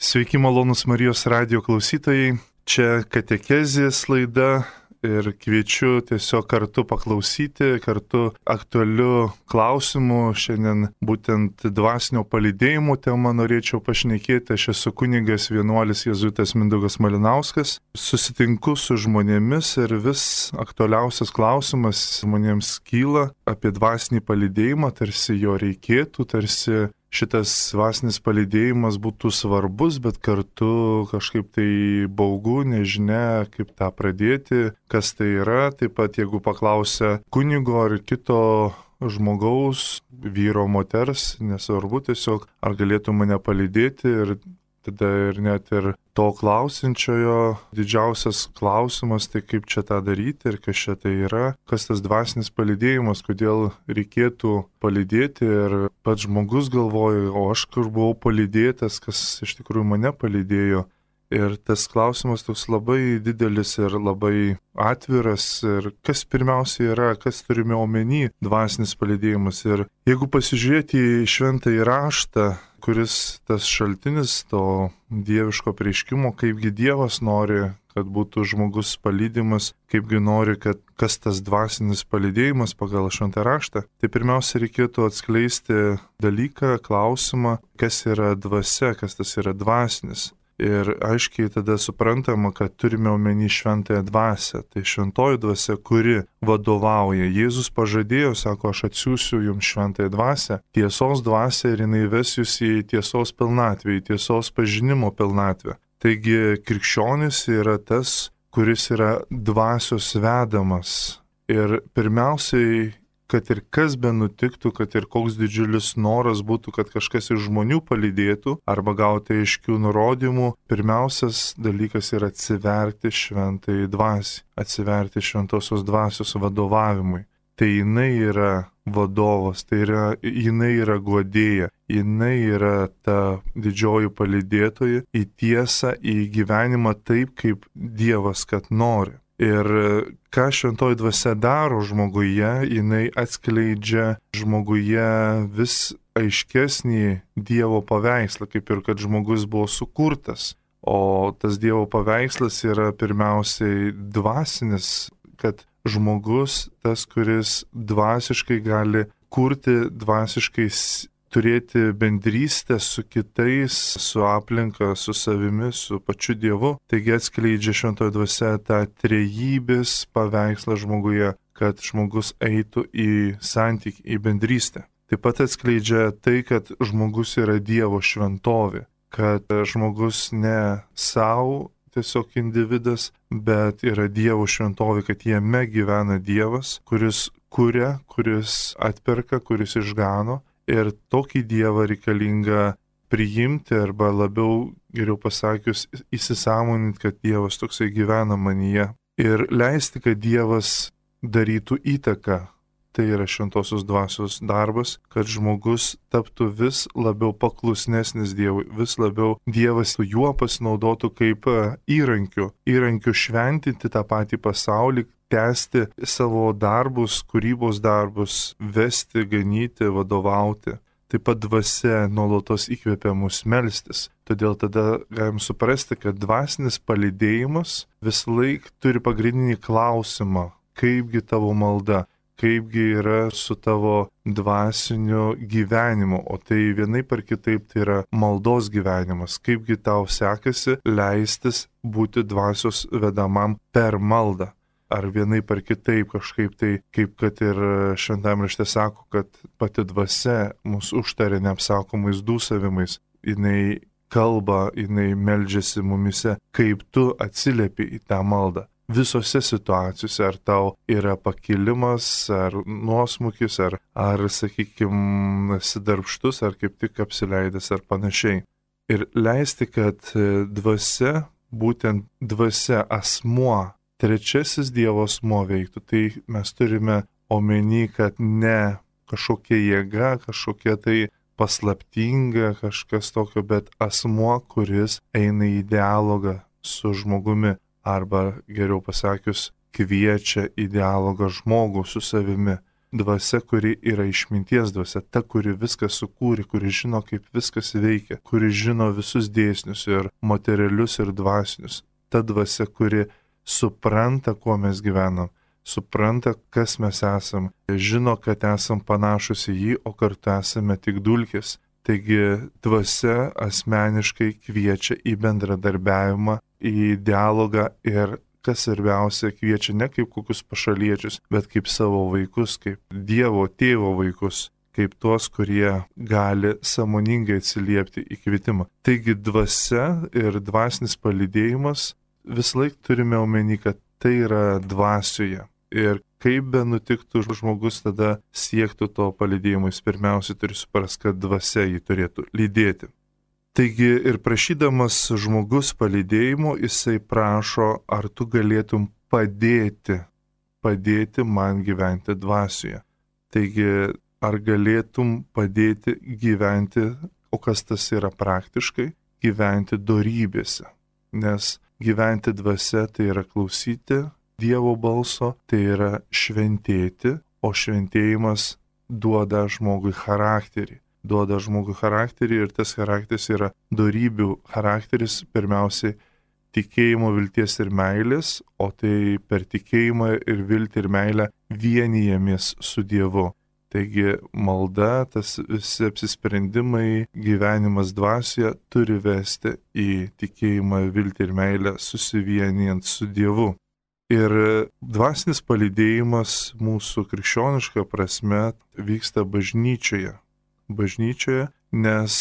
Sveiki, malonus Marijos radijo klausytojai. Čia katekezės laida ir kviečiu tiesiog kartu paklausyti, kartu aktualiu klausimu. Šiandien būtent dvasinio palydėjimo temą norėčiau pašnekėti. Aš esu kunigas vienuolis jėzuitas Mindaugas Malinauskas. Susitinku su žmonėmis ir vis aktualiausias klausimas žmonėms kyla apie dvasinį palydėjimą, tarsi jo reikėtų, tarsi šitas dvasinis palydėjimas būtų svarbus, bet kartu kažkaip tai baugu, nežinia, kaip tą pradėti, kas tai yra. Taip pat, jeigu paklausia kunigo ar kito žmogaus, vyro, moters, nesvarbu tiesiog, ar galėtų mane palydėti, ir tada ir net ir to klausinčiojo didžiausias klausimas, tai kaip čia tą daryti ir kas čia tai yra, kas tas dvasinis palydėjimas, kodėl reikėtų palydėti, ir pats žmogus galvoja, o aš kur buvau palydėtas, kas iš tikrųjų mane palydėjo. Ir tas klausimas toks labai didelis ir labai atviras, ir kas pirmiausia yra, kas turime omeny dvasinis palydėjimas. Ir jeigu pasižiūrėti į šventąjį raštą, kuris tas šaltinis to dieviško apreiškimo, kaipgi Dievas nori, kad būtų žmogus palydimas, kaipgi nori, kad kas tas dvasinis palydėjimas pagal šventą raštą, tai pirmiausia reikėtų atskleisti dalyką, klausimą, kas yra dvasia, kas tas yra dvasinis. Ir aiškiai tada suprantama, kad turime omeny šventąją dvasią. Tai šventoji dvasia, kuri vadovauja. Jėzus pažadėjo, sako, aš atsiųsiu jums šventąją dvasią, tiesos dvasią, ir jinai ves jūs į tiesos pilnatvę, į tiesos pažinimo pilnatvę. Taigi krikščionis yra tas, kuris yra dvasios vedamas. Ir pirmiausiai, kad ir kas be nutiktų, kad ir koks didžiulis noras būtų, kad kažkas iš žmonių palydėtų arba gauti aiškių nurodymų, pirmiausias dalykas yra atsiverti šventai dvasiai, atsiverti šventosios dvasios vadovavimui. Tai jinai yra vadovas, tai yra, jinai yra guodėja, jinai yra ta didžioji palydėtoja į tiesą, į gyvenimą taip, kaip Dievas kad nori. Ir ką šventoji dvasia daro žmoguje, jinai atskleidžia žmoguje vis aiškesnį Dievo paveikslą, kaip ir kad žmogus buvo sukurtas. O tas Dievo paveikslas yra pirmiausiai dvasinis, kad žmogus, tas, kuris dvasiškai gali kurti, dvasiškai turėti bendrystę su kitais, su aplinka, su savimi, su pačiu Dievu. Taigi atskleidžia šventoji dvasia tą trejybės paveikslą žmoguje, kad žmogus eitų į santykį, į bendrystę. Taip pat atskleidžia tai, kad žmogus yra Dievo šventovė, kad žmogus ne savo tiesiog individas, bet yra Dievo šventovė, kad jame gyvena Dievas, kuris kuria, kuris atperka, kuris išgano. Ir tokį Dievą reikalinga priimti, arba labiau, geriau pasakius, įsisąmoninti, kad Dievas toksai gyvena manyje. Ir leisti, kad Dievas darytų įtaką. Tai yra šventosios dvasios darbas, kad žmogus taptų vis labiau paklusnesnis Dievui, vis labiau Dievas juo pasinaudotų kaip įrankiu šventinti tą patį pasaulį, tęsti savo darbus, kūrybos darbus, vesti, ganyti, vadovauti. Taip pat dvasia nuolatos įkvepia mus melstis. Todėl tada galim suprasti, kad dvasinis palydėjimas visąlaik turi pagrindinį klausimą, kaipgi tavo malda, kaipgi yra su tavo dvasiniu gyvenimu, o tai vienaip ar kitaip tai yra maldos gyvenimas, kaipgi tau sekasi leistis būti dvasios vedamam per maldą. Ar vienaip ar kitaip kažkaip tai, kaip kad ir šventame rašte sako, kad pati dvasia mus užtaria neapsakomais dūsavimais. Jinai kalba, jinai meldžiasi mumise, kaip tu atsiliepi į tą maldą. Visose situacijose, ar tau yra pakilimas, ar nuosmukis, ar sakykime, sidarbštus, ar kaip tik apsileidęs, ar panašiai. Ir leisti, kad dvasia, būtent dvasia, asmuo, trečiasis Dievo asmuo veiktų. Tai mes turime omeny, kad ne kažkokia jėga, kažkokia tai paslaptinga, kažkas tokio, bet asmuo, kuris eina į dialogą su žmogumi, arba geriau pasakius, kviečia į dialogą žmogų su savimi. dvasia, kuri yra išminties dvasia, ta, kuri viską sukūrė, kuri žino, kaip viskas veikia, kuri žino visus dėsnius ir materialius ir dvasinius. Ta dvasia, kuri supranta, kuo mes gyvenam, supranta, kas mes esam, žino, kad esam panašus į jį, o kartu esame tik dulkės. Taigi dvasia asmeniškai kviečia į bendradarbiavimą, į dialogą ir, kas svarbiausia, kviečia ne kaip kokius pašaliečius, bet kaip savo vaikus, kaip Dievo tėvo vaikus, kaip tuos, kurie gali sąmoningai atsiliepti į kvietimą. Taigi dvasia ir dvasinis palydėjimas visąlaik turime omeny, kad tai yra dvasioje. Ir kaip be nutiktų žmogus tada siektų to palydėjimo, jis pirmiausia turi suprasti, kad dvasia jį turėtų lydėti. Taigi ir prašydamas žmogus palydėjimo, jisai prašo, ar tu galėtum padėti man gyventi dvasioje. Taigi, ar galėtum padėti gyventi, o kas tas yra praktiškai, gyventi dorybėse. Nes gyventi dvasia tai yra klausyti Dievo balso, tai yra šventėti, o šventėjimas duoda žmogui charakterį. Duoda žmogui charakterį ir tas charakteris yra dorybių charakteris, pirmiausiai tikėjimo, vilties ir meilės, o tai per tikėjimą ir viltį ir meilę vienijamės su Dievu. Taigi malda, tas visi apsisprendimai, gyvenimas dvasioje turi vesti į tikėjimą, viltį ir meilę susivienijant su Dievu. Ir dvasinis palydėjimas mūsų krikščioniška prasme vyksta bažnyčioje. Bažnyčioje, nes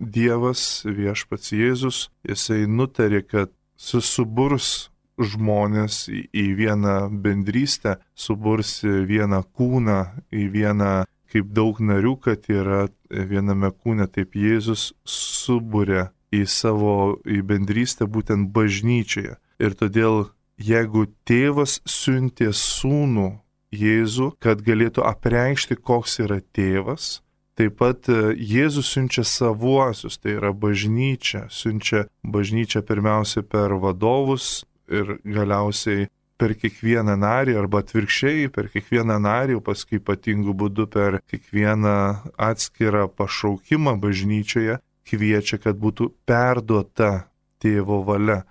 Dievas, viešpats Jėzus, jisai nutarė, kad susiburs žmonės į vieną bendrystę, suburs vieną kūną, į vieną kaip daug narių, kad yra viename kūne, taip Jėzus suburia į bendrystę būtent bažnyčioje. Ir todėl, jeigu tėvas siuntė sūnų Jėzų, kad galėtų apreikšti, koks yra tėvas, taip pat Jėzus siunčia savuosius, tai yra bažnyčia, siunčia bažnyčia pirmiausia per vadovus ir galiausiai per kiekvieną narį, arba atvirkščiai, per kiekvieną narį, o paskui ypatingų būdų per kiekvieną atskirą pašaukimą bažnyčioje, kviečia, kad būtų perduota tėvo valia,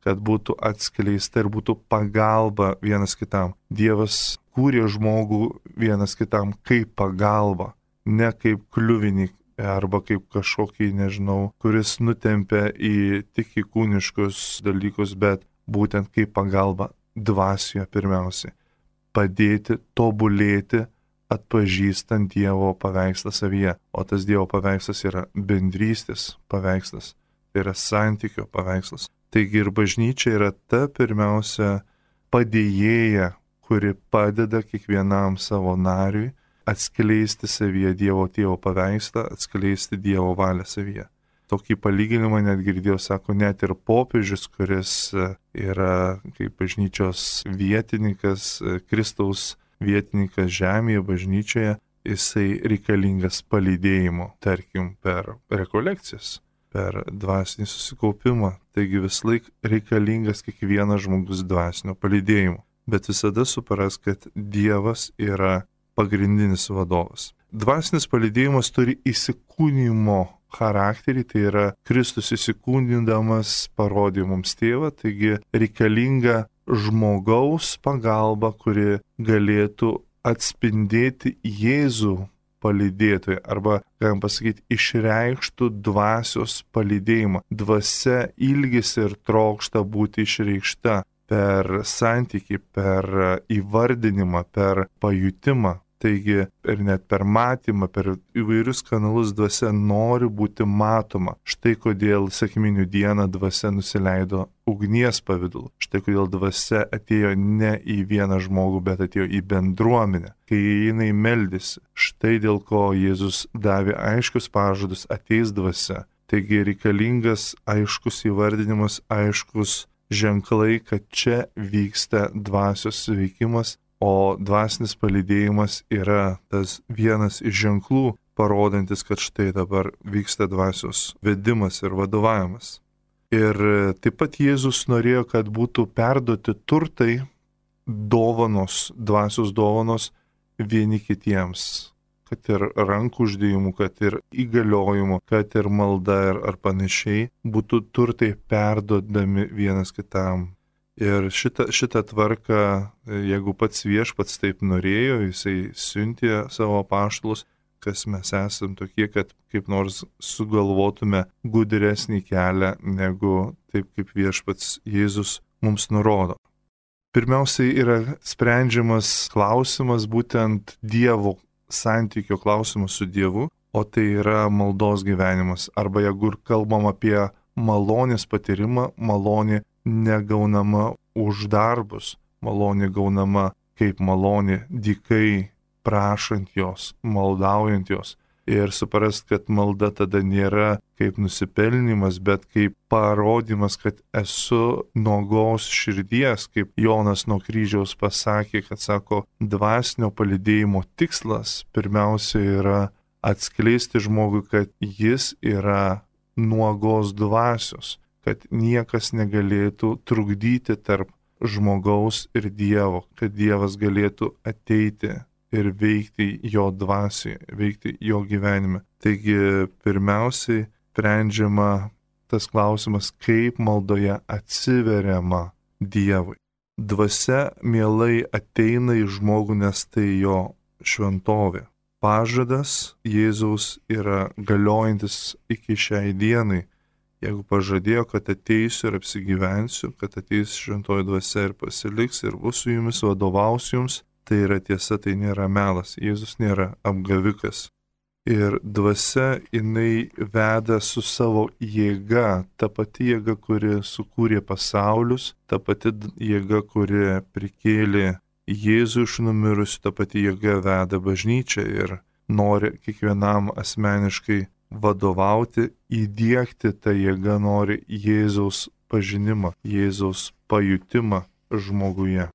kad būtų atskleista ir būtų pagalba vienas kitam. Dievas kūrė žmogų vienas kitam kaip pagalba, ne kaip kliuvinį arba kaip kažkokį, kuris nutempia tik į kūniškus dalykus, bet būtent kaip pagalba dvasioje pirmiausiai. Padėti, tobulėti, atpažįstant Dievo paveikslą savyje. O tas Dievo paveikslas yra bendrystės paveikslas, tai yra santykio paveikslas. Taigi ir bažnyčia yra ta pirmiausia padėjėja, kuri padeda kiekvienam savo nariui atskleisti savyje Dievo tėvo paveikslą, atskleisti Dievo valią savyje. Tokį palyginimą net girdėjau, sako, net ir popiežius, kuris yra kaip bažnyčios vietininkas, Kristaus vietininkas žemėje, bažnyčioje, jisai reikalingas palydėjimo, tarkim, per rekolekcijas, per dvasinį susikaupimą. Taigi vislaik reikalingas kiekvienas žmogus dvasinio palydėjimo. Bet visada supras, kad Dievas yra pagrindinis vadovas. Dvasinis palydėjimas turi įsikūnijimo charakterį, tai yra Kristus įsikūnindamas parodė mums tėvą, taigi reikalinga žmogaus pagalba, kuri galėtų atspindėti Jėzų palydėtoją, arba, galim pasakyti, išreikštų dvasios palydėjimą. Dvasia ilgisi ir trokšta būti išreikšta per santykį, per įvardinimą, per pajutimą. Taigi ir net per matymą, per įvairius kanalus dvasia nori būti matoma. Štai kodėl sekminių dieną dvasia nusileido ugnies pavidalu. Štai kodėl dvasia atėjo ne į vieną žmogų, bet atėjo į bendruomenę, kai jinai meldėsi. Štai dėl ko Jėzus davė aiškius pažadus, ateis dvasia. Taigi reikalingas aiškus įvardinimas, aiškus ženklai, kad čia vyksta dvasios veikimas. O dvasinis palydėjimas yra tas vienas iš ženklų, parodantis, kad štai dabar vyksta dvasios vedimas ir vadovavimas. Ir taip pat Jėzus norėjo, kad būtų perduoti turtai, dovanos, dvasios dovanos vieni kitiems, kad ir rankų uždėjimų, kad ir įgaliojimų, kad ir malda ar panašiai, būtų turtai perduodami vienas kitam. Ir šitą tvarką, jeigu pats viešpats taip norėjo, jisai siuntė savo apaštalus, kas mes esam tokie, kad kaip nors sugalvotume gudresnį kelią, negu taip kaip viešpats Jėzus mums nurodo. Pirmiausiai yra sprendžiamas klausimas būtent Dievo santykio klausimas su Dievu, o tai yra maldos gyvenimas. Arba jeigu kalbam apie malonės patyrimą, malonė negaunama už darbus, malonė gaunama kaip malonė dykai, prašant jos, maldaujant jos. Ir suprast, kad malda tada nėra kaip nusipelnimas, bet kaip parodymas, kad esu nuogos širdies, kaip Jonas nuo kryžiaus pasakė, kad sako, dvasinio palydėjimo tikslas pirmiausia yra atskleisti žmogui, kad jis yra nuogos dvasios, kad niekas negalėtų trukdyti tarp žmogaus ir Dievo, kad Dievas galėtų ateiti ir veikti jo dvasioje, veikti jo gyvenime. Taigi pirmiausiai sprendžiama tas klausimas, kaip maldoje atsiveriama Dievui. Dvasia mielai ateina į žmogų, nes tai jo šventovė. Pažadas Jėzaus yra galiojantis iki šiai dienai. Jeigu pažadėjo, kad ateisiu ir apsigyvensiu, kad ateis šventoji dvasia ir pasiliks ir bus su jumis, vadovaus jums, tai yra tiesa, tai nėra melas. Jėzus nėra apgavikas. Ir dvasia jinai veda su savo jėga, ta pati jėga, kuri sukūrė pasaulius, ta pati jėga, kuri prikėlė Jėzų iš numirusių, ta pati jėga veda bažnyčią ir nori kiekvienam asmeniškai vadovauti, įdiegti tą jėgą, nori Jėzaus pažinimą, Jėzaus pajutimą žmoguje.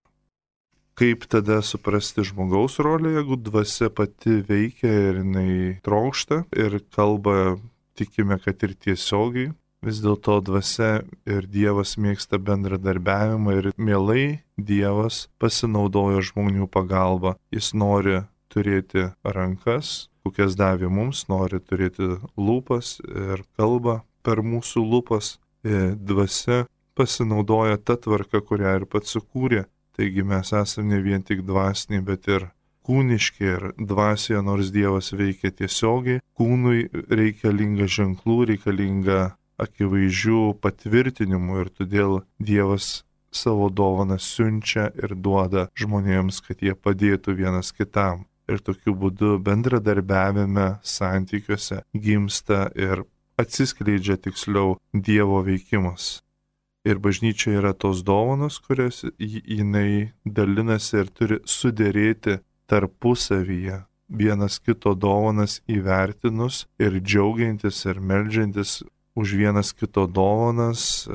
Kaip tada suprasti žmogaus rolę, jeigu dvasia pati veikia ir jinai trokšta ir kalba, tikime, kad ir tiesiogiai. Vis dėlto dvasia ir Dievas mėgsta bendradarbiavimą ir mielai Dievas pasinaudoja žmonių pagalba. Jis nori turėti rankas, kokias davė mums, nori turėti lūpas ir kalbą per mūsų lūpas. Dvasia pasinaudoja tą tvarką, kurią ir pats sukūrė. Taigi mes esame ne vien tik dvasiniai, bet ir kūniški ir dvasioje, nors Dievas veikia tiesiogiai, kūnui reikalinga ženklų, reikalinga akivaizdžių patvirtinimų ir todėl Dievas savo dovaną siunčia ir duoda žmonėms, kad jie padėtų vienas kitam. Ir tokiu būdu bendradarbiavime, santykiuose gimsta ir atsiskleidžia tiksliau Dievo veikimas. Ir bažnyčia yra tos dovanos, kurias jinai dalinasi ir turi suderėti tarpusavyje, vienas kito dovanas įvertinus ir džiaugiantis ir meldžiantis už vienas kito dovanas.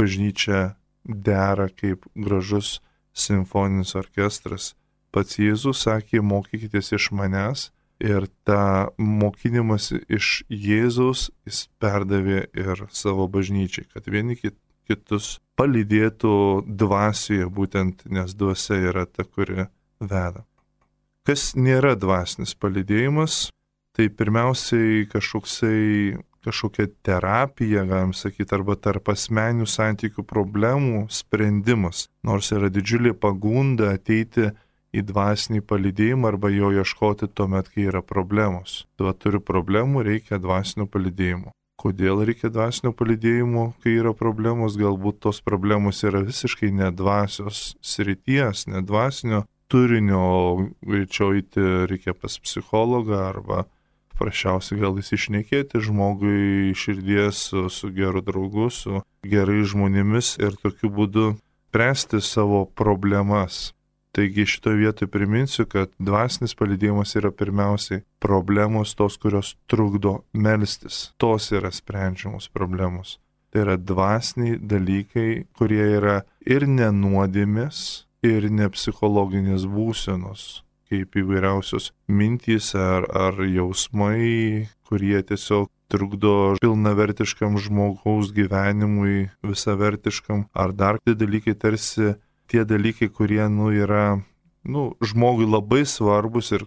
Bažnyčia dera kaip gražus simfoninis orkestras. Pats Jėzus sakė, mokykitės iš manęs, ir tą mokinimas iš Jėzaus jis perdavė ir savo bažnyčiai, kad vieni kitus palydėtų dvasioje, būtent nes dvasia yra ta, kuri veda. Kas nėra dvasinis palydėjimas, tai pirmiausiai kažkokia terapija, galim sakyti, arba tarp asmeninių santykių problemų sprendimas, nors yra didžiulė pagunda ateiti į dvasinį palydėjimą arba jo ieškoti tuomet, kai yra problemos. Tuo turiu problemų, reikia dvasinio palydėjimo. Kodėl reikia dvasinio palydėjimo, kai yra problemos? Galbūt tos problemos yra visiškai nedvasios srities, nedvasinio turinio, greičiau eiti reikia pas psichologą arba prašiausiai gal įsišnekėti žmogui širdies su geru draugu, su gerai žmonėmis ir tokiu būdu spręsti savo problemas. Taigi šitoje vietoje priminsiu, kad dvasinis palydėjimas yra pirmiausiai problemos tos, kurios trukdo melstis. Tos yra sprendžiamos problemos. Tai yra dvasiniai dalykai, kurie yra ir nenuodėmės, ir nepsichologinės būsenos, kaip įvairiausios mintys ar jausmai, kurie tiesiog trukdo pilnavertiškam žmogaus gyvenimui, visavertiškam, ar dar tie dalykai tarsi tie dalykai, kurie yra žmogui labai svarbus ir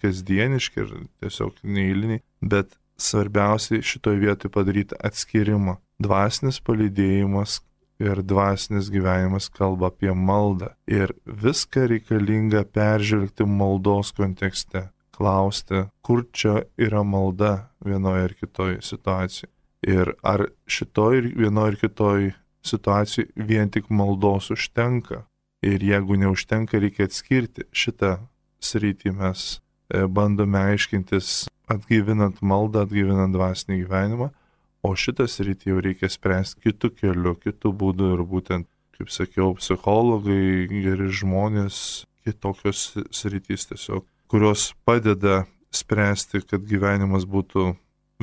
kasdieniški ir tiesiog neįliniai, bet svarbiausiai šitoje vietoje padaryti atskirimą. Dvasinis palydėjimas ir dvasinis gyvenimas kalba apie maldą. Ir viską reikalinga peržvelgti maldos kontekste. Klausti, kur čia yra malda vienoje ar kitoje situacijoje. Ir ar šitoje vienoje ar kitoje situacijoje vien tik maldos užtenka. Ir jeigu neužtenka, reikia atskirti. Šitą sritį mes bandome aiškintis atgaivinant maldą, atgaivinant dvasinį gyvenimą. O šitą sritį jau reikia spręsti kitų kelių, kitų būdų ir būtent, kaip sakiau, psichologai, geri žmonės, kitokios sritys tiesiog, kurios padeda spręsti, kad gyvenimas būtų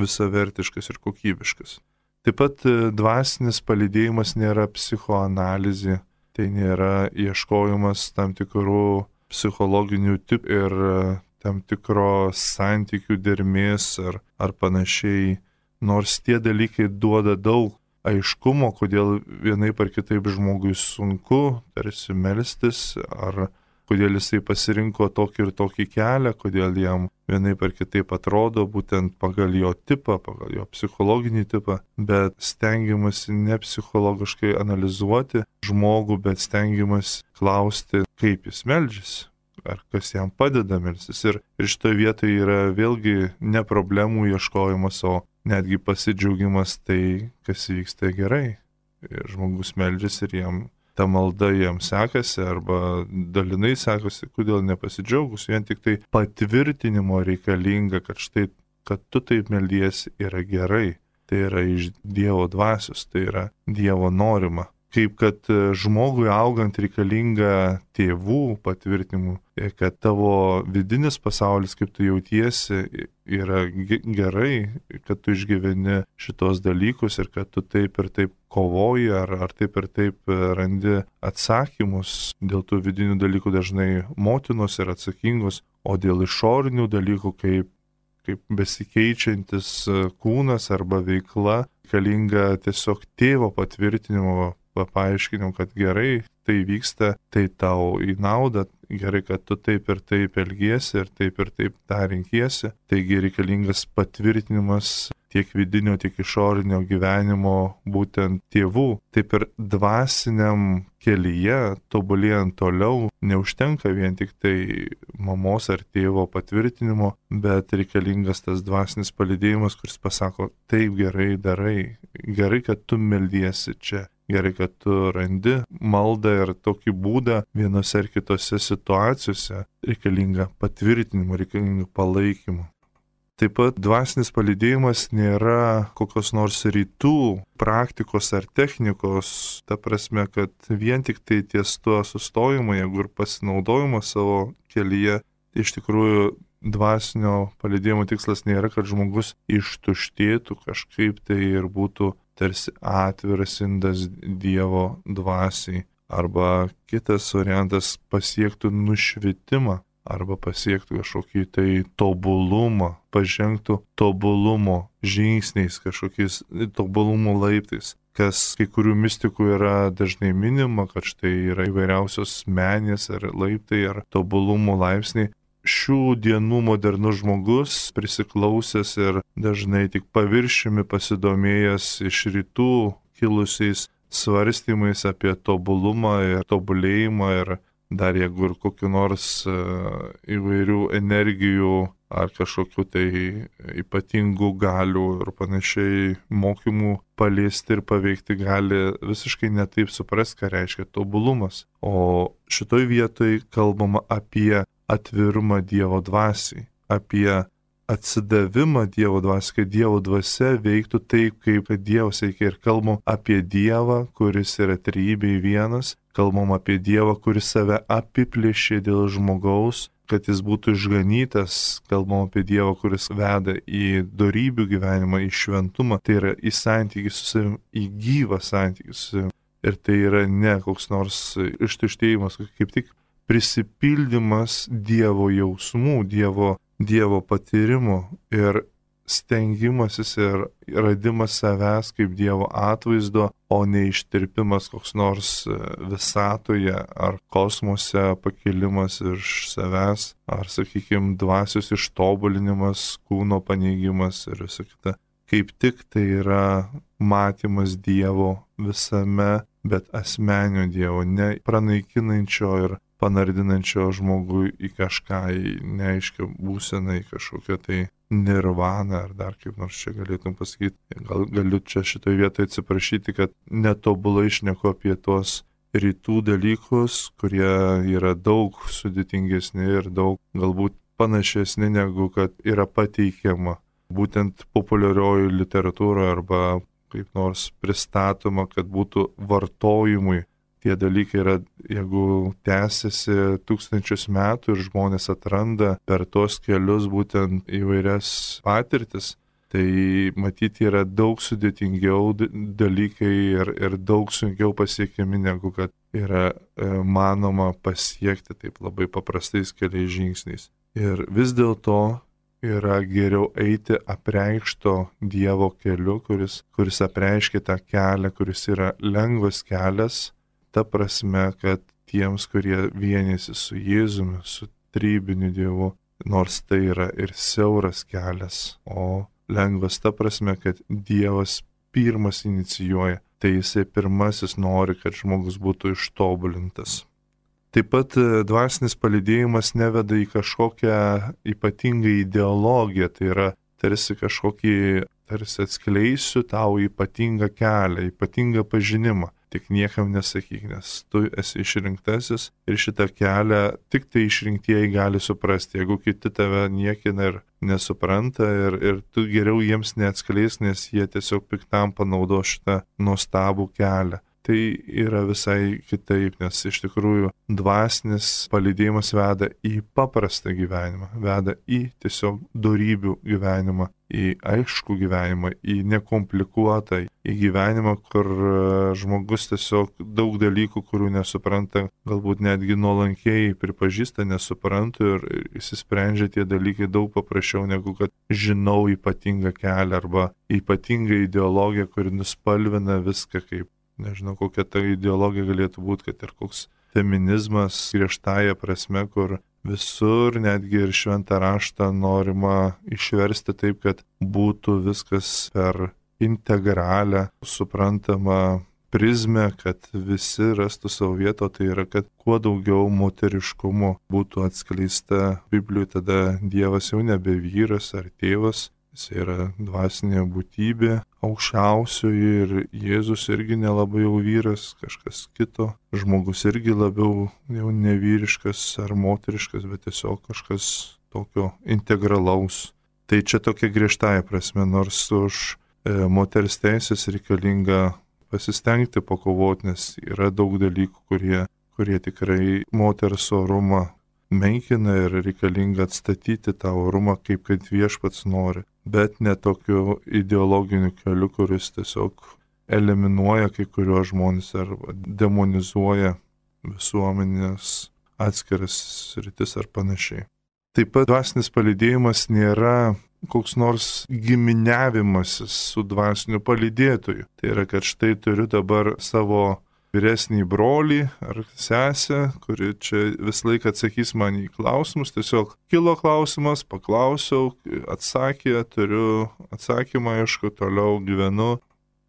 visavertiškas ir kokybiškas. Taip pat dvasinis palydėjimas nėra psichoanalizė, tai nėra ieškojimas tam tikrų psichologinių tipų ir tam tikro santykių dermės ar panašiai. Nors tie dalykai duoda daug aiškumo, kodėl vienaip ar kitaip žmogui sunku tarsi melstis, ar kodėl jisai pasirinko tokį ir tokį kelią, kodėl jam vienaip ar kitaip atrodo būtent pagal jo tipą, pagal jo psichologinį tipą, bet stengiamasi ne psichologiškai analizuoti žmogų, bet stengiamasi klausti, kaip jis meldžiasi. Ar kas jam padeda melstis. Ir šitoje vietoje yra vėlgi ne problemų ieškojimas, o netgi pasidžiaugimas tai, kas vyksta gerai. Ir žmogus meldžiasi ir jam ta malda jam sekasi arba dalinai sekasi, kodėl nepasidžiaugus. Vien tik tai patvirtinimo reikalinga, kad štai, kad tu taip meldiesi yra gerai. Tai yra iš Dievo dvasios, tai yra Dievo norima. Kaip kad žmogui augant reikalinga tėvų patvirtinimų, kad tavo vidinis pasaulis, kaip tu jautiesi, yra gerai, kad tu išgyveni šitos dalykus ir kad tu taip ir taip kovoji ar taip ir taip randi atsakymus. Dėl tų vidinių dalykų dažnai motinos yra atsakingos, o dėl išorinių dalykų, kaip besikeičiantis kūnas arba veikla, reikalinga tiesiog tėvo patvirtinimo, paaiškinim, kad gerai tai vyksta, tai tau į naudą, gerai, kad tu taip ir taip elgiesi ir taip tą renkiesi. Taigi reikalingas patvirtinimas tiek vidinio, tiek išorinio gyvenimo būtent tėvų. Taip ir dvasiniam kelyje, tobulėjant toliau, neužtenka vien tik tai mamos ar tėvo patvirtinimo, bet reikalingas tas dvasinis palydėjimas, kuris pasako, taip gerai darai, gerai, kad tu meldiesi čia. Gerai, kad tu randi maldą ir tokį būdą vienose ar kitose situacijose, reikalinga patvirtinimo, reikalinga palaikymo. Taip pat dvasinis palydėjimas nėra kokios nors rytų praktikos ar technikos, ta prasme, kad vien tik tai ties tuo sustojimo, jeigu ir pasinaudojimo savo kelyje, iš tikrųjų dvasinio palydėjimo tikslas nėra, kad žmogus ištuštėtų kažkaip tai ir būtų tarsi atviras indas Dievo dvasiai. Arba kitas variantas pasiektų nušvitimą, arba pasiektų kažkokį tai tobulumą, pažengtų tobulumo žingsniais, kažkokiais tobulumo laiptais. Kas kai kurių mistikų yra dažnai minima, kad štai yra įvairiausios menės ar laiptai ar tobulumo laipsniai. Šių dienų modernus žmogus, prisiklausęs ir dažnai tik paviršiumi pasidomėjęs iš rytų kilusiais svarstymais apie tobulumą ir tobulėjimą ir dar jeigu ir kokiu nors įvairių energijų ar kažkokiu tai ypatingų galių ir panašiai mokymų paliesti ir paveikti gali visiškai netaip suprasti, ką reiškia tobulumas. O šitoj vietoj kalbama apie atvirumą Dievo dvasiai, apie atsidavimą Dievo dvasiai, kad Dievo dvasia veiktų taip, kaip Dievas veikia. Ir kalbam apie Dievą, kuris yra trejybėj vienas, kalbam apie Dievą, kuris save apiplėšė dėl žmogaus, kad jis būtų išganytas, kalbam apie Dievą, kuris veda į dorybių gyvenimą, į šventumą, tai yra į santykį su savim, į gyvą santykį su savim. Ir tai yra ne koks nors ištuštėjimas, kaip tik prisipildymas Dievo jausmų, Dievo patyrimo ir stengimasis ir radimas savęs kaip Dievo atvaizdo, o ne ištirpimas koks nors visatoje ar kosmose pakilimas iš savęs, ar, sakykime, dvasios ištobulinimas, kūno paneigimas ir visa kita. Kaip tik tai yra matymas Dievo visame, bet asmenio Dievo, ne pranaikinančio ir panardinančio žmogui į kažką, į neaiškią būseną, į kažkokią tai nirvaną, ar dar kaip nors čia galėtum pasakyti. Galiu čia šitoje vietoje atsiprašyti, kad netobulai šneku apie tuos rytų dalykus, kurie yra daug sudėtingesni ir daug galbūt panašesni negu kad yra pateikiama būtent populiarioji literatūra arba kaip nors pristatoma, kad būtų vartojimui. Tie dalykai yra, jeigu tęsiasi tūkstančius metų ir žmonės atranda per tos kelius būtent įvairias patirtis, tai matyti yra daug sudėtingiau dalykai ir daug sunkiau pasiekiami, negu kad yra manoma pasiekti taip labai paprastais keliais žingsniais. Ir vis dėlto yra geriau eiti apreikšto Dievo keliu, kuris apreiškia tą kelią, kuris yra lengvas kelias, ta prasme, kad tiems, kurie vienėsi su Jėzumi, su trybiniu Dievu, nors tai yra ir siauras kelias, o lengvas ta prasme, kad Dievas pirmas inicijuoja, tai jisai pirmasis nori, kad žmogus būtų ištobulintas. Taip pat dvasinis palydėjimas neveda į kažkokią ypatingą ideologiją, tai yra tarsi atskleisiu tau ypatingą kelią, ypatingą pažinimą. Tik niekam nesakyk, nes tu esi išrinktasis ir šitą kelią tik tai išrinktieji gali suprasti. Jeigu kiti tave niekina ir nesupranta ir tu geriau jiems neatskleis, nes jie tiesiog piktam panaudo šitą nuostabų kelią. Tai yra visai kitaip, nes iš tikrųjų dvasinis palydėjimas veda į paprastą gyvenimą, veda į tiesiog dorybių gyvenimą, į aiškų gyvenimą, į nekomplikuotą, į gyvenimą, kur žmogus tiesiog daug dalykų, kurių nesupranta, galbūt netgi nuolankiai pripažįsta, nesuprantu ir įsisprendžia tie dalykai daug paprasčiau, negu kad žinau ypatingą kelią arba ypatingą ideologiją, kuri nuspalvina viską kaip. Nežinau, kokia ta ideologija galėtų būti, kad ir koks feminizmas griežtąja prasme, kur visur, netgi ir šventą raštą norima išversti taip, kad būtų viskas per integralią, suprantamą prizmę, kad visi rastų savo vietą, tai yra, kad kuo daugiau moteriškumo būtų atskleista Biblijoje, tada Dievas jau nebe vyras ar tėvas, jis yra dvasinė būtybė, aukščiausioji ir Jėzus irgi nelabai jau vyras, kažkas kito, žmogus irgi labiau jau nevyriškas ar moteriškas, bet tiesiog kažkas tokio integralaus. Tai čia tokia griežtąja prasme, nors už moters teisės reikalinga pasistengti pakovoti, nes yra daug dalykų, kurie tikrai moters orumą menkina ir reikalinga atstatyti tą orumą, kaip kad Viešpats nori, bet ne tokiu ideologiniu keliu, kuris tiesiog eliminuoja kai kuriuos žmonės arba demonizuoja visuomenės atskiras sritis ar panašiai. Taip pat dvasinis palydėjimas nėra koks nors giminiavimasis su dvasiniu palydėtoju. Tai yra, kad štai turiu dabar savo vyresnį brolį ar sesę, kuri čia visą laiką atsakys man į klausimus. Tiesiog kilo klausimas, paklausiau, atsakė, turiu atsakymą, aišku, toliau gyvenu.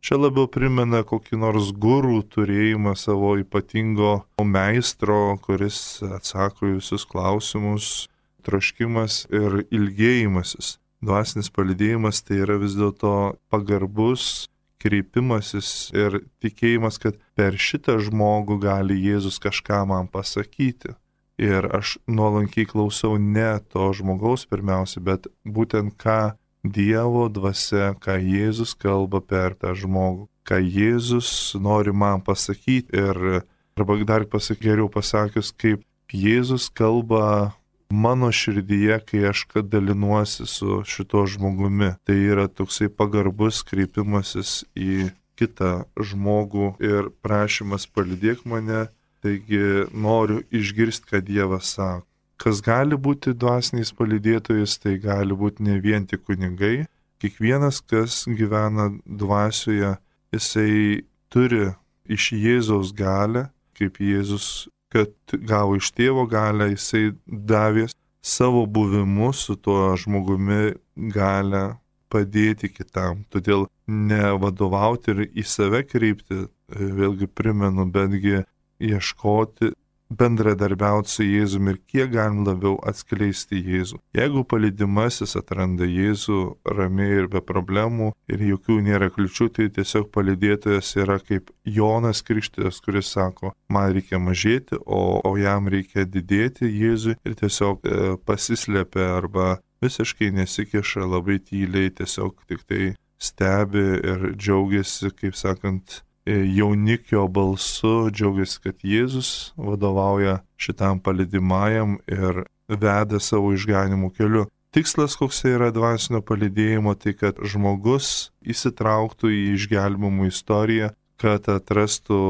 Čia labiau primena kokį nors gurų turėjimą savo ypatingo meistro, kuris atsako į visus klausimus, troškimas ir ilgėjimasis. Dvasinis palydėjimas tai yra vis dėlto pagarbus kreipimasis ir tikėjimas, kad per šitą žmogų gali Jėzus kažką man pasakyti. Ir aš nuolankiai klausau ne to žmogaus pirmiausia, bet būtent ką Dievo dvasia, ką Jėzus kalba per tą žmogų, ką Jėzus nori man pasakyti ir arba dar geriau pasakius, kaip Jėzus kalba mano širdyje, kai aš dalinuosi su šito žmogumi. Tai yra toksai pagarbus kreipimasis į kitą žmogų ir prašymas palydėk mane, taigi noriu išgirsti, ką Dievas sako. Kas gali būti dvasiniais palydėtojais, tai gali būti ne vien tik kunigai. Kiekvienas, kas gyvena dvasioje, jisai turi iš Jėzaus galę, kaip Jėzus, kad gavo iš tėvo galę, jisai davė savo buvimu su tuo žmogumi galę padėti kitam. Todėl nevadovauti ir į save kreipti, vėlgi primenu, betgi ieškoti, bendradarbiauti su Jėzumi ir kiek galim labiau atskleisti Jėzų. Jeigu palydimasis atranda Jėzų ramiai ir be problemų ir jokių nėra kliučių, tai tiesiog palydėtojas yra kaip Jonas Krikštytojas, kuris sako, man reikia mažėti, o jam reikia didėti Jėzui, ir tiesiog pasislėpia arba visiškai nesikiša, labai tyliai, tiesiog tik tai stebi ir džiaugiasi, kaip sakant, jaunikio balsu, džiaugiasi, kad Jėzus vadovauja šitam palydimajam ir veda savo išganimų keliu. Tikslas, koks yra dvasinio palydėjimo, tai kad žmogus įsitrauktų į išgelbimų istoriją, kad atrastų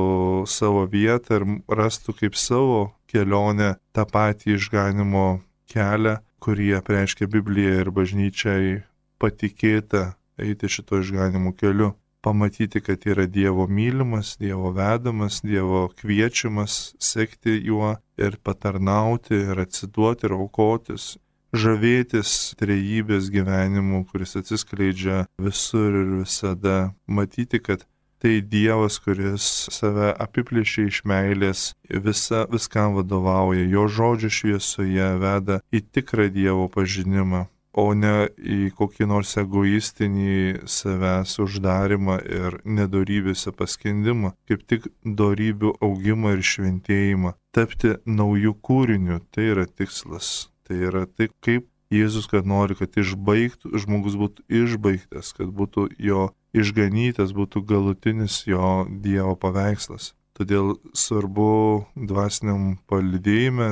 savo vietą ir rastų kaip savo kelionę tą patį išganimo kelią, kurį apreiškia Biblija ir bažnyčiai patikėta eiti šito išganimų keliu. Pamatyti, kad yra Dievo mylimas, Dievo vedamas, Dievo kviečiamas sekti juo ir patarnauti ir atsiduoti ir aukotis. Žavėtis trejybės gyvenimu, kuris atsiskleidžia visur ir visada. Matyti, kad tai Dievas, kuris save apiplėšia iš meilės, viskam vadovauja, jo žodžio šviesoje veda į tikrą Dievo pažinimą, o ne į kokį nors egoistinį savęs uždarimą ir nedorybėse paskendimą, kaip tik dorybių augimą ir šventėjimą. Tapti naujų kūrinių, tai yra tikslas. Tai yra tai, kaip Jėzus, kad nori, kad žmogus būtų išbaigtas, kad būtų jo išganytas, būtų galutinis jo Dievo paveikslas. Todėl svarbu dvasiniam palydėjime,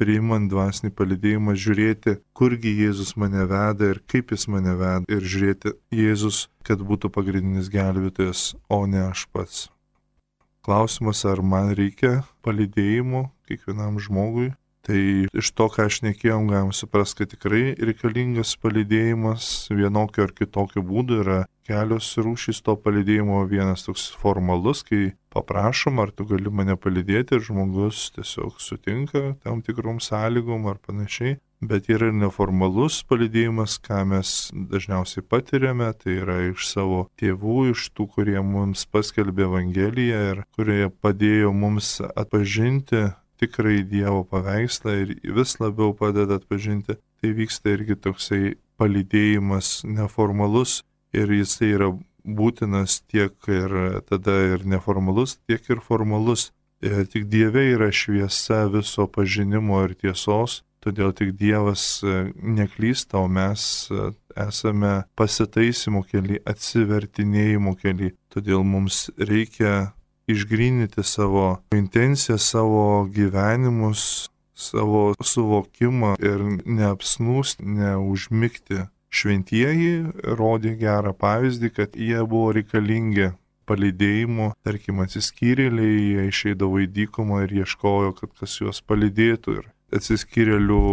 priimant dvasinį palydėjimą, žiūrėti, kurgi Jėzus mane veda ir kaip jis mane veda, ir žiūrėti Jėzus, kad būtų pagrindinis gelbėtojas, o ne aš pats. Klausimas, ar man reikia palydėjimo kiekvienam žmogui? Tai iš to, ką aš nekėjom, galim suprasti, kad tikrai reikalingas palydėjimas vienokio ar kitokio būdu. Yra kelios rūšys to palydėjimo. Vienas toks formalus, kai paprašom, ar tu gali mane palydėti, ir žmogus tiesiog sutinka tam tikrom sąlygom ar panašiai. Bet yra ir neformalus palydėjimas, ką mes dažniausiai patiriame, tai yra iš savo tėvų, iš tų, kurie mums paskelbė Evangeliją ir kurie padėjo mums atpažinti tikrai Dievo paveikslą ir vis labiau padeda atpažinti. Tai vyksta irgi toksai palydėjimas neformalus, ir jisai yra būtinas tiek ir tada ir neformalus, tiek ir formalus. Ir tik Dieve yra šviesa viso pažinimo ir tiesos, todėl tik Dievas neklysta, o mes esame pasitaisymo kely, atsivertinėjimo kely. Todėl mums reikia išgrynyti savo intenciją, savo gyvenimus, savo suvokimą ir neapsnūsti, neužmigti. Šventieji rodė gerą pavyzdį, kad jie buvo reikalingi palydėjimo, tarkim, atsiskyrėliai, jie išeidavo į dykumą ir ieškojo, kad kas juos palydėtų. Ir atsiskyrėlių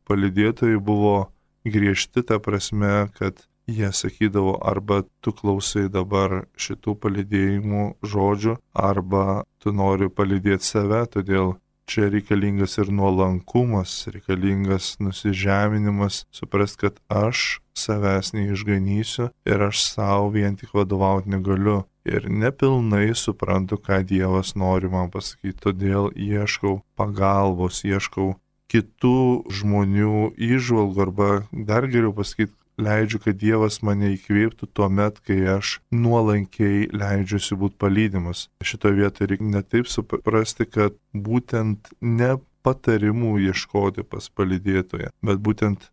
palydėtojai buvo griežti ta prasme, kad jie sakydavo, arba tu klausai dabar šitų palydėjimų žodžių, arba tu nori palydėti save, todėl čia reikalingas ir nuolankumas, reikalingas nusižeminimas, suprast, kad aš savęs neišganysiu ir aš savo vien tik vadovauti negaliu. Ir nepilnai suprantu, ką Dievas nori man pasakyti, todėl ieškau pagalbos, ieškau kitų žmonių įžvalgų, arba dar geriau pasakyti, leidžiu, kad Dievas mane įkvėptų tuo met, kai aš nuolankiai leidžiuosi būti palydimas. Šitoje vietoje reikia ne taip suprasti, kad būtent ne patarimų ieškoti pas palydėtoją, bet būtent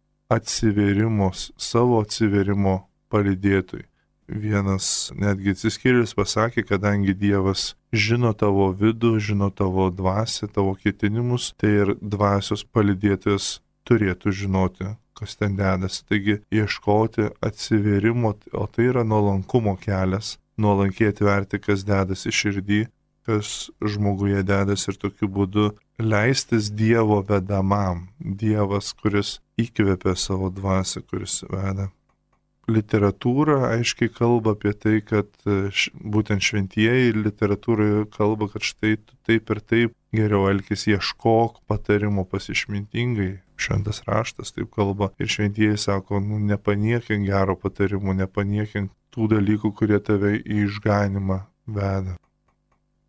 savo atsiverimo palydėtojui. Vienas netgi atsiskyrėlis pasakė, kadangi Dievas žino tavo vidų, žino tavo dvasią, tavo ketinimus, tai ir dvasios palydėtojas turėtų žinoti, kas ten dedasi. Taigi ieškoti atsiverimo, o tai yra nuolankumo kelias, nuolankiai atverti, kas dedasi širdį, kas žmoguje dedasi, ir tokiu būdu leistis Dievo vedamam. Dievas, kuris įkvepia savo dvasią, kuris veda. literatūra aiškiai kalba apie tai, kad būtent šventieji literatūroje kalba, kad štai tu taip ir taip geriau elkis, ieškok patarimo pas išmintingai. Šventas raštas taip kalba ir šventieji sako, nepaniekink gero patarimo, nepaniekink tų dalykų, kurie tave į išganimą veda.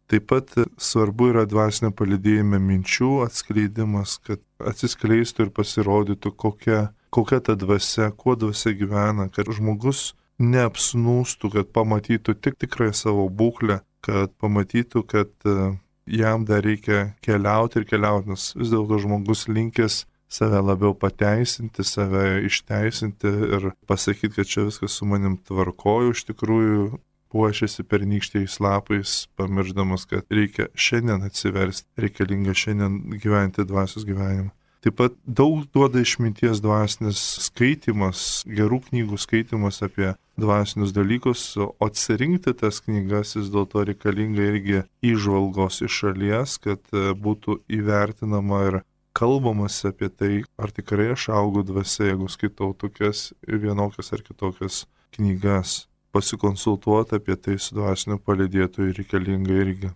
Taip pat svarbu yra dvasinio palydėjime minčių atskleidimas, kad atsiskleistų ir pasirodytų, kokia ta dvasia, kuo dvasia gyvena, kad žmogus neapsnūstų, kad pamatytų tik tikrąją savo būklę, kad pamatytų, kad jam dar reikia keliauti ir keliauti, nes vis dėlto žmogus linkęs save labiau pateisinti, save išteisinti ir pasakyti, kad čia viskas su manim tvarkoju, iš tikrųjų puošiasi pernykščiais lapais, pamiršdamas, kad reikia šiandien atsiversti, reikalinga šiandien gyventi dvasios gyvenimą. Taip pat daug duoda išminties dvasinis skaitimas, gerų knygų skaitimas apie dvasinius dalykus, o atsirinkti tas knygas vis dėlto reikalinga irgi įžvalgos iš šalies, kad būtų įvertinama ir kalbamas apie tai, ar tikrai aš augu dvasia, jeigu skaitau tokias vienokias ar kitokias knygas. Pasikonsultuoti apie tai su dvasiniu palydėtoju reikalinga irgi.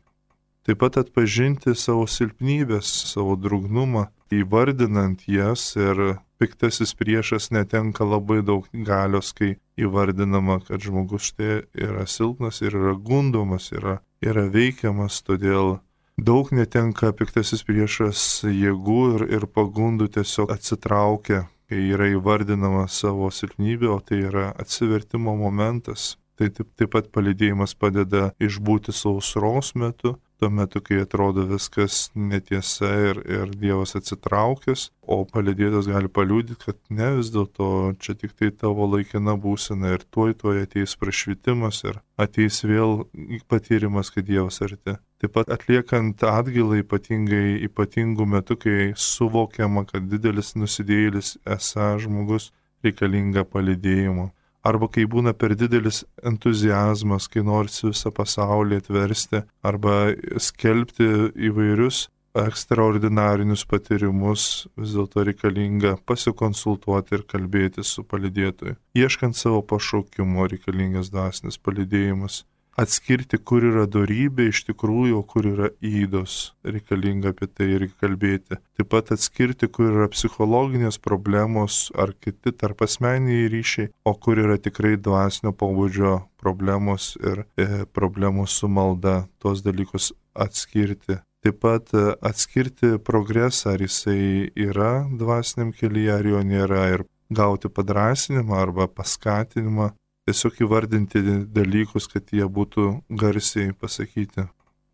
Taip pat atpažinti savo silpnybės, savo drugnumą, įvardinant jas, ir piktasis priešas netenka labai daug galios, kai įvardinama, kad žmogus štai yra silpnas ir yra gundomas, yra veikiamas, todėl daug netenka piktasis priešas jėgų ir pagundų tiesiog atsitraukia, kai yra įvardinama savo silpnybė, o tai yra atsivertimo momentas. Tai taip pat palydėjimas padeda išbūti sausros metu, tuo metu, kai atrodo viskas netiesa ir Dievas atsitraukęs, o palydėtas gali paliudyti, kad ne, vis dėlto čia tik tai tavo laikina būsena ir tuoj ateis prašvitimas ir ateis vėl patyrimas, kad Dievas arti. Taip pat atliekant atgailą ypatingų metų, kai suvokiama, kad didelis nusidėjėlis esą žmogus, reikalinga palydėjimo. Arba kai būna per didelis entuziazmas, kai norisi visą pasaulį atversti, arba skelbti įvairius ekstraordinarinius patyrimus, vis dėlto reikalinga pasikonsultuoti ir kalbėti su palydėtoju. Ieškant savo pašaukimo reikalingas dvasinis palydėjimas. Atskirti, kur yra dorybė iš tikrųjų, o kur yra įdos. Reikalinga apie tai ir kalbėti. Taip pat atskirti, kur yra psichologinės problemos ar kiti tarpasmeniniai ryšiai, o kur yra tikrai dvasinio pobūdžio problemos ir problemos su malda. Tuos dalykus atskirti. Taip pat atskirti progresą, ar jisai yra dvasiniam kelyje, ar jo nėra, ir gauti padrasinimą arba paskatinimą. Tiesiog įvardinti dalykus, kad jie būtų garsiai pasakyti.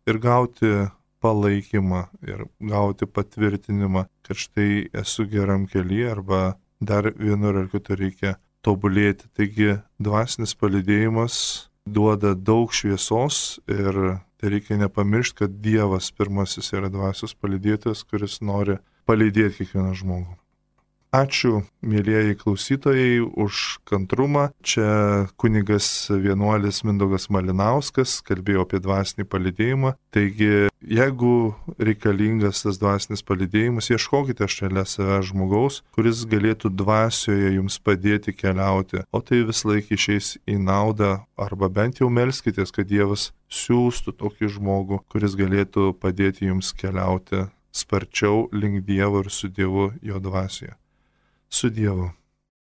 Ir gauti palaikymą, ir gauti patvirtinimą, kad štai esu geram kelyje, arba dar vienur ar kitur reikia tobulėti. Taigi dvasinis palydėjimas duoda daug šviesos ir tai reikia nepamiršti, kad Dievas pirmasis yra dvasios palydėtojas, kuris nori palydėti kiekvieną žmogų. Ačiū, mėlyjeji klausytojai, už kantrumą. Čia kunigas vienuolis Mindaugas Malinauskas kalbėjo apie dvasinį palydėjimą. Taigi, jeigu reikalingas tas dvasinis palydėjimas, ieškokite šalia savęs žmogaus, kuris galėtų dvasioje jums padėti keliauti, o tai vis laik išeis į naudą, arba bent jau melskitės, kad Dievas siūstų tokį žmogų, kuris galėtų padėti jums keliauti sparčiau link Dievo ir su Dievu jo dvasioje. Su Dievu.